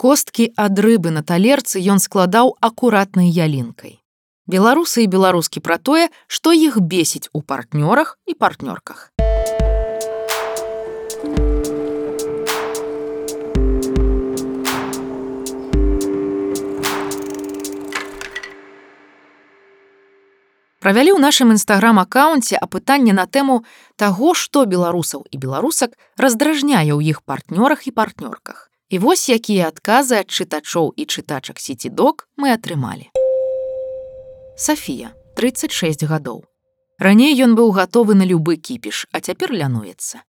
Косткі ад рыбы на талерцы ён складаў акуратнай ялінкай. Беларусы і беларускі пра тое, што іх бесіць у партнёрах і партнёрках. Правялі ў нашым інстаграм-акаунце апытанне на тэму таго, што беларусаў і беларусак раздражняе ў іх партнёрах і партнёрках. І вось якія адказы ад чытачоў і чытачак Сіці-Дог мы атрымалі. Сафія, 36 гадоў. Раней ён быў гатовы на любы кіпіш, а цяпер лянуецца.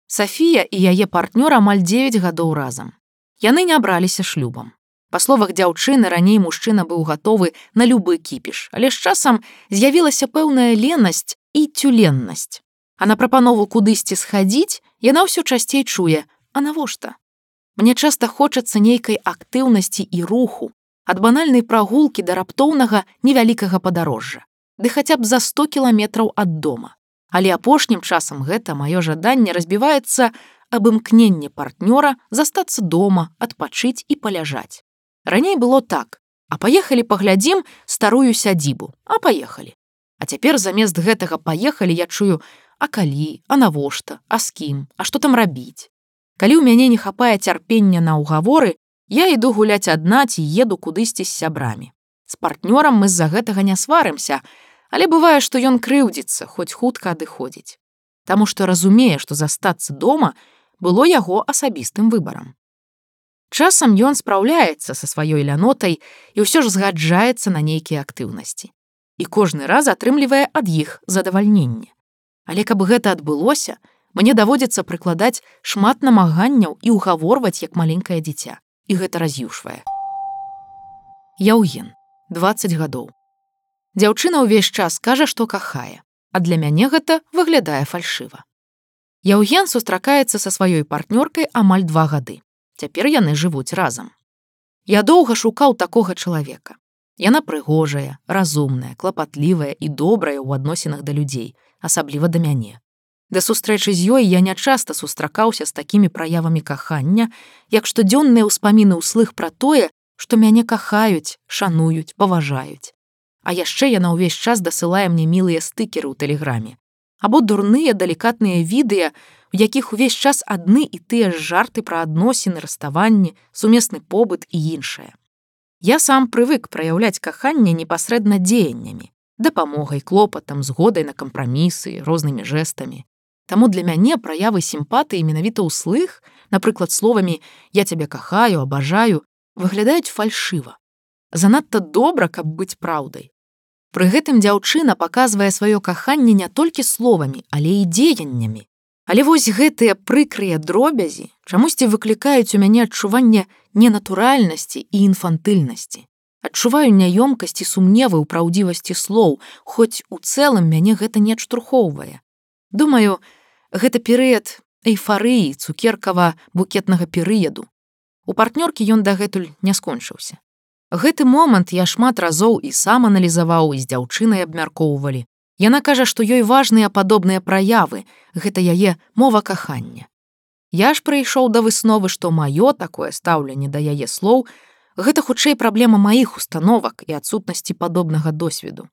Сафія і яе партнёр амаль 9 гадоў разам. Яны не браліся шлюбам. Па словах дзяўчыны, раней мужчына быў гатовы на любы кіпіш, але з часам з'явілася пэўная ленасць і цюленнасць. А на прапанову кудысьці схадзіць яна ўсё часцей чуе: а навошта? Мне часта хочацца нейкай актыўнасці і руху, ад банальнай прагулкі да раптоўнага невялікага падарожжа, ды хаця б за 100 кіламетраў ад дома. Але апошнім часам гэта маё жаданне разбіваецца аб імкненне партнёра застацца дома, адпачыць і паляжаць. Раней было так: а паехалі паглядзім старую сядзібу, а паехалі. А цяпер замест гэтага паехалі я чую: а калі, а навошта, а з кім, а што там рабіць? Калі ў мяне не хапае цярпення на ўгаворы, я іду гуляць адна ці еду кудысьці з сябрамі. З партнёрам мы з-за гэтага не сварымся, але бывае, што ён крыўдзіцца, хоць хутка адыходзіць. Таму што разумее, што застацца дома было яго асабістым выбарам. Часам ён спраўляецца са сваёй лянотай і ўсё ж згаджаецца на нейкія актыўнасці. І кожны раз атрымлівае ад іх задавальненне. Але каб гэта адбылося, мне даводзіцца прыкладаць шмат намаганняў і ўгаворваць як маленькае дзіця. І гэта раз'юшвае. Яўген, 20 гадоў. Дзяўчына ўвесь час кажа, што кахае, а для мяне гэта выглядае фальшыва. Яўген сустракаецца са сваёй партнёркай амаль 2 гады. Цяпер яны жывуць разам. Я доўга шукаў такога чалавека. Яна прыгожая, разумная, клапатлівая і добрая ў адносінах да людзей, асабліва да мяне. Да сустрэчы з ёй я нячаста сустракаўся з такімі праявамі кахання, як штодзённыя ўспаміны ўслых пра тое, што мяне кахаюць, шануюць, паважаюць. А яшчэ яна ўвесь час дасылае мне мілыя стыкеры ў тэлеграме. Або дурныя, далікатныя відэа, у якіх увесь час адны і тыя ж жарты пра адносіны, раставанні, сумесны побыт і іншае. Я сам прывык праяўляць каханне непасрэдна дзеяннямі, дапамогай, клопатам, згодай на кампрамісы, рознымі жэстамі. Таму для мяне праявы сімпатыі менавіта ўслых, напрыклад, словамі «я цябе кахаю, абажаю», выглядаюць фальшыва. Занадта добра, каб быць праўдай. Пры гэтым дзяўчына паказвае сваё каханне не толькі словамі, але і дзеяннямі. Але вось гэтыя прыкрыя дробязі чамусьці выклікаюць у мяне адчуванне ненатуральнасці і інфантыльнасці. Адчуваю няёмкасць і сумневы ў праўдзівасці слоў, хоць у цэлым мяне гэта не адштурхоўвае. Думаю, гэта перыяд эйфарыі цукеркава-букетнага перыяду. У партнёркі ён дагэтуль не скончыўся. Гэты момант я шмат разоў і сам аналізаваў, і з дзяўчынай абмяркоўвалі. Яна кажа, што ёй важныя падобныя праявы, гэта яе мова кахання. Я ж прыйшоў да высновы, што маё такое стаўленне да яе слоў гэта хутчэй праблема маіх установак і адсутнасці падобнага досведу.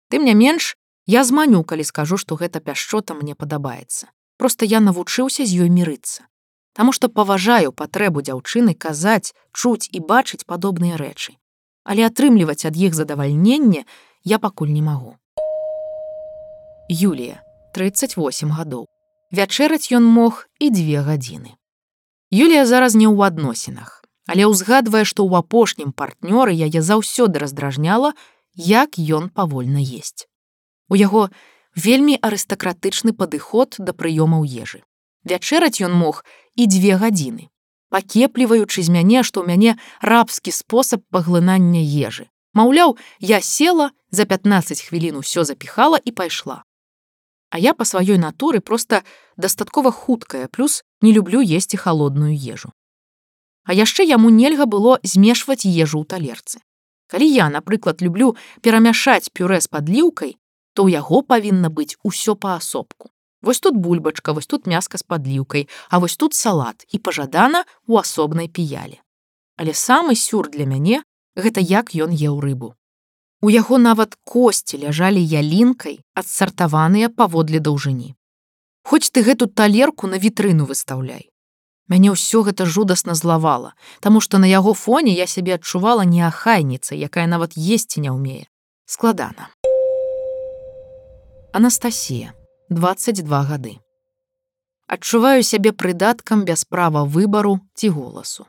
Тым не менш, я зманю, калі скажу, што гэта пяшчота мне падабаецца. Проста я навучыўся з ёй мірыцца. Таму што паважаю патрэбу дзяўчыны казаць, чуць і бачыць падобныя рэчы. Але атрымліваць ад іх задавальненне я пакуль не магу. Юлія, 38 гадоў. Вячэраць ён мог і 2 гадзіны. Юлія зараз не ў адносінах, але ўзгадвае, што ў апошнім партнёры яе заўсёды раздражняла, як ён павольна есць. У яго вельмі арыстакратычны падыход да прыёмаў ежы. Вячэраць ён мог і 2 гадзіны, пакепліваючы з мяне, што ў мяне рабскі спосаб паглынання ежы. Маўляў, я села, за 15 хвілін усё запіхала і пайшла. А я па сваёй натуры проста дастаткова хуткая, плюс не люблю есці халодную ежу. А яшчэ яму нельга было змешваць ежу ў талерцы. Калі я, напрыклад, люблю перамяшаць пюрэ з падліўкай, то ў яго павінна быць усё паасобку. Вось тут бульбачка, вось тут мяска з падліўкай, а вось тут салат і пажадана ў асобнай піяле. Але самы сюр для мяне гэта як ён еў рыбу. У яго нават косці ляжалі ялінкай, адсартаваныя паводле даўжыні. Хоць ты гэту талерку на вітрыну выстаўляй. Мяне ўсё гэта жудасна злавала, таму што на яго фоне я сябе адчувала неахайніцай, якая нават есці не ўмее. Складана. Анастасія, 22 гады. Адчуваю сябе прыдаткам без права выбару ці голасу.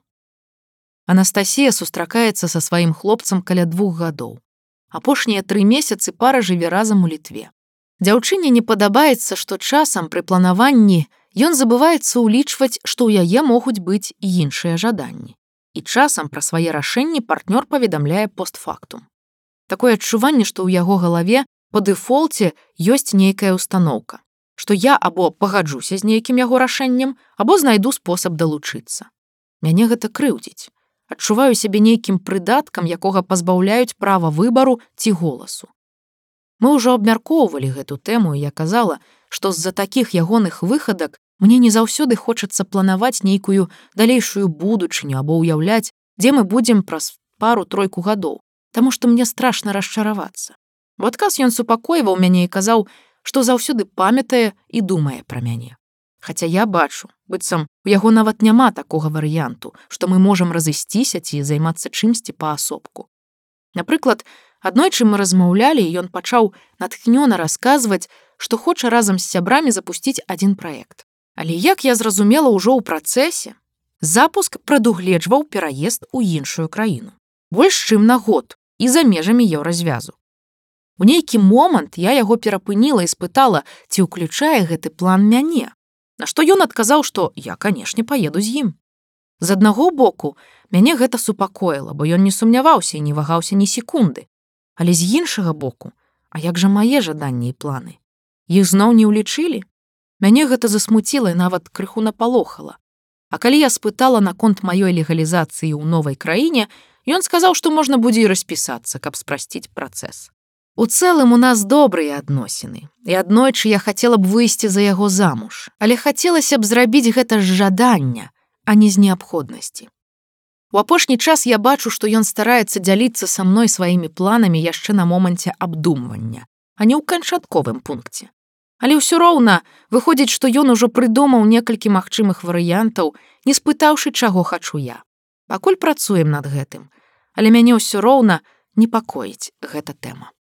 Анастасія сустракаецца са сваім хлопцам каля 2 гадоў. Апошнія 3 месяцы пара жыве разам у Літве. Дзяўчыне не падабаецца, што часам пры планаванні ён забываецца ўлічваць, што ў яе могуць быць і іншыя жаданні. І часам пра свае рашэнні партнёр паведамляе постфактум. Такое адчуванне, што ў яго галаве па дэфолце ёсць нейкая ўстаноўка, што я або пагаджуся з нейкім яго рашэннем, або знайду спосаб далучыцца. Мяне гэта крыўдзіць. Адчуваю сябе нейкім прыдаткам, якога пазбаўляюць права выбару ці голасу. Мы ўжо абмяркоўвалі гэту тэму, і я казала, што з-за такіх ягоных выхадак мне не заўсёды хочацца планаваць нейкую далейшую будучыню або ўяўляць, дзе мы будзем праз пару-тройку гадоў, таму што мне страшна расчаравацца. У адказ ён супакойваў мяне і казаў, што заўсёды памятае і думае пра мяне. Хаця я бачу, быццам у яго нават няма такога варыянту, што мы можам разысціся ці займацца чымсьці паасобку. Напрыклад, аднойчы мы размаўлялі, і ён пачаў натхнёна расказваць, што хоча разам з сябрамі запусціць адзін праект. Але як я зразумела ўжо ў працэсе, запуск прадугледжваў пераезд у іншую краіну. Больш чым на год і за межамі еўразвязу. У нейкі момант я яго перапыніла і спытала, ці ўключае гэты план мяне. На што ён адказаў, што я, канешне, паеду з ім. З аднаго боку, мяне гэта супакоіла, бо ён не сумняваўся і не вагаўся ні секунды. Але з іншага боку, а як жа мае жаданні і планы? Іх зноў не ўлічылі? Мяне гэта засмуціла і нават крыху напалохала. А калі я спытала наконт маёй легалізацыі ў новай краіне, ён сказаў, што можна будзе і распісацца, каб спрасціць працэс. У цэлым у нас добрыя адносіны, і аднойчы я хацела б выйсці за яго замуж, але хацелася б зрабіць гэта з жадання, а не з неабходнасці. У апошні час я бачу, што ён стараецца дзяліцца са мной сваімі планамі яшчэ на моманце абдумвання, а не ў канчатковым пункце. Але ўсё роўна выходзіць, што ён ужо прыдумаў некалькі магчымых варыянтаў, не спытаўшы, чаго хачу я. Пакуль працуем над гэтым, але мяне ўсё роўна непакоіць гэта тэма.